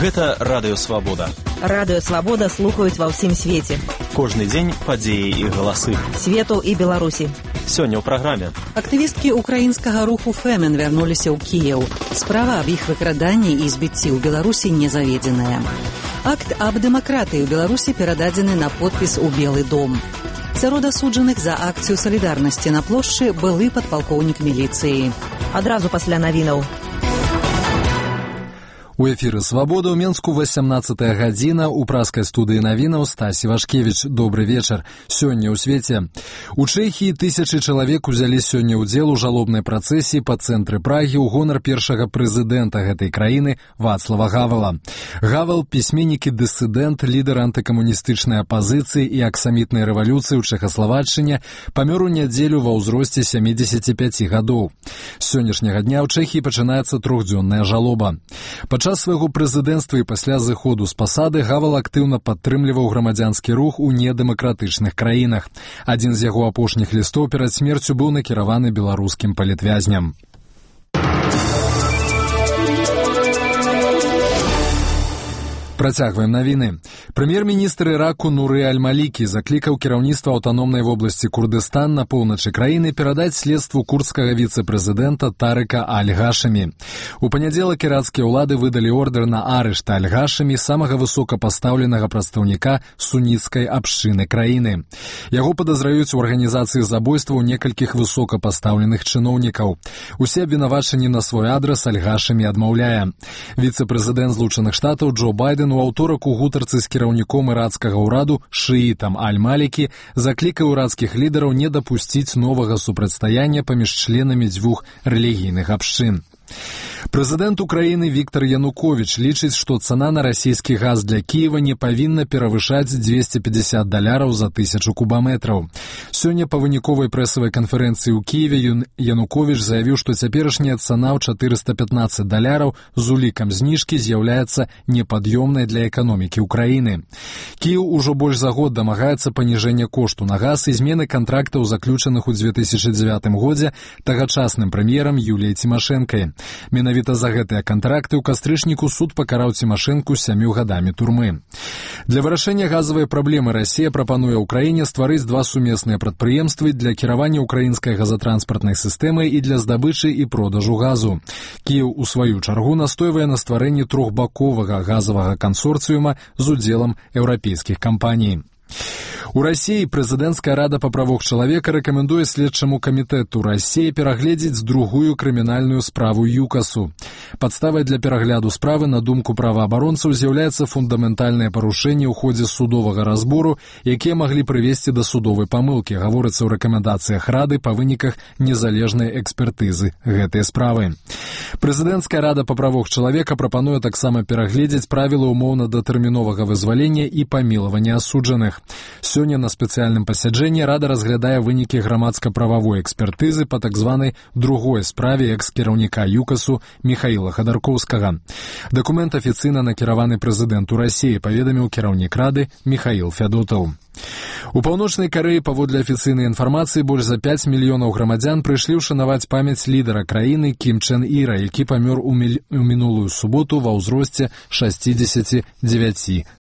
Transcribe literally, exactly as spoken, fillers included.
Гэта Радыё Свабода. Радыё Свабода слухаюць ва ўсім свеце. Кожны дзень падзеі і галасы. Свету і Беларусі. Сёння ў праграме. Актывісткі украінскага руху «Фемен» вярнуліся ў Кіеў. Справа аб іх выкраданні і збіцці ў Беларусі не заведзеная. Акт аб дэмакратыі ў Беларусі перададзены на подпіс у Белы дом. Сярод асуджаных за акцыю салідарнасці на плошчы былы падпалкоўнік міліцыі. Адразу пасля навінаў. У эфіры «Свабода» ў Менску васямнаццатая гадзіна, у праскай студыі навінаў Стасі Вашкевіч. Добры вечар. Сёння ў свеце. У Чэхіі тысячы чалавек узялі сёння ўдзел у жалобнай працэсіі па цэнтры Прагі ў гонар першага прэзідэнта гэтай краіны Вацлава Гавала. Гавал – пісьменнік і дысідэнт, лідар антыкамуністычнай апазіцыі і аксамітнай рэвалюцыі ў Чэхаславаччыне, памёр у нядзелю ва ўзросце сямідзесяці пяці гадоў. З сённяшняга дня ў Чэхіі пачынаецца трохдзённая жалоба. Падчас свайго прэзідэнцтва і пасля зыходу з пасады Гавал актыўна падтрымліваў грамадзянскі рух у недэмакратычных краінах. Адзін з яго апошніх лістоў перад смерцю быў накіраваны беларускім палітвязням. Працягваем навіны. Прэм'ер-міністр Іраку Нуры Аль-Малікі заклікаў кіраўніцтва аўтаномнай вобласці Курдыстан на поўначы краіны перадаць следству курдскага віцэ-прэзідэнта Тарыка Аль-Гашымі. У панядзелак іракскія ўлады выдалі ордэр на арышт Аль-Гашымі, самага высокапастаўленага прадстаўніка суніцкай абшчыны краіны. Яго падазраюць у арганізацыі забойстваў некалькіх высокапастаўленых чыноўнікаў. Усе абвінавачанні на свой адрас Аль-Гашымі адмаўляе. Віцэ-прэзідэнт Злучаных Штатаў Джо Байден у аўторак у гутарцы з кіраўніком іракскага ўраду шыітам Аль-Малікі заклікаў іракскіх лідараў не дапусціць новага супрацьстаяння паміж членамі дзвюх рэлігійных абшчын. Прэзідэнт Украіны Віктар Януковіч лічыць, што цана на расійскі газ для Кіева не павінна перавышаць дзвесце пятьдесят даляраў за тысячу кубаметраў. Сёння па выніковай прэсавай канферэнцыі ў Кіеве Януковіч заявіў, што цяперашняя цана ў чатырыста пятнаццаць даляраў з улікам зніжкі з'яўляецца непад'ёмнай для эканомікі Украіны. Кіеў ужо больш за год дамагаецца паніжэння кошту на газ і змены кантрактаў, заключаных у дзве тысячы дзевятым годзе тагачасным прэм'ерам Юліяй Цімашэнкай. Менавіта за гэтыя кантракты ў кастрычніку суд пакараў Цімашэнку сямю гадамі турмы. Для вырашэння газавай праблемы Расія прапануе ўкраіне стварыць два сумесныя прадпрыемствы для кіравання ўкраінскай газатранспартнай сістэмай і для здабычы і продажу газу. Кіеў у сваю чаргу настойвае на стварэнні трохбаковага газавага кансорцыюма з удзелам еўрапейскіх кампаній. У Расіі прэзідэнцкая рада па правах чалавека рэкамендуе следчаму камітэту Расіі перагледзець другую крымінальную справу ЮКАСу. Падставай для перагляду справы, на думку праваабаронцаў, з'яўляецца фундаментальнае парушэнне ў ходзе судовага разбору, якія маглі прывесці да судовай памылкі, гаворыцца ў рэкамендацыях рады па выніках незалежнай экспертызы гэтай справы. Прэзідэнцкая рада па правах чалавека прапануе таксама перагледзець правілы умоўна-датэрміновага вызвалення і памілавання асуджаных. Сёння на спецыяльным пасяджэнні рада разглядае вынікі грамадска-прававой экспертызы па так званай другой справе экс-кіраўніка ЮКАСу Міхаіла Хадаркоўскага. Дакумент афіцыйна накіраваны прэзідэнту Расіі, паведаміў кіраўнік рады Міхаіл Фядотаў. У Паўночнай Карэі, паводле афіцыйнай інфармацыі, больш за пяць мільёнаў грамадзян прыйшлі ўшанаваць памяць лідара краіны Кім Чен Іра, які памёр у, міль... у мінулую суботу ва ўзросце шасцідзесяці дзевяці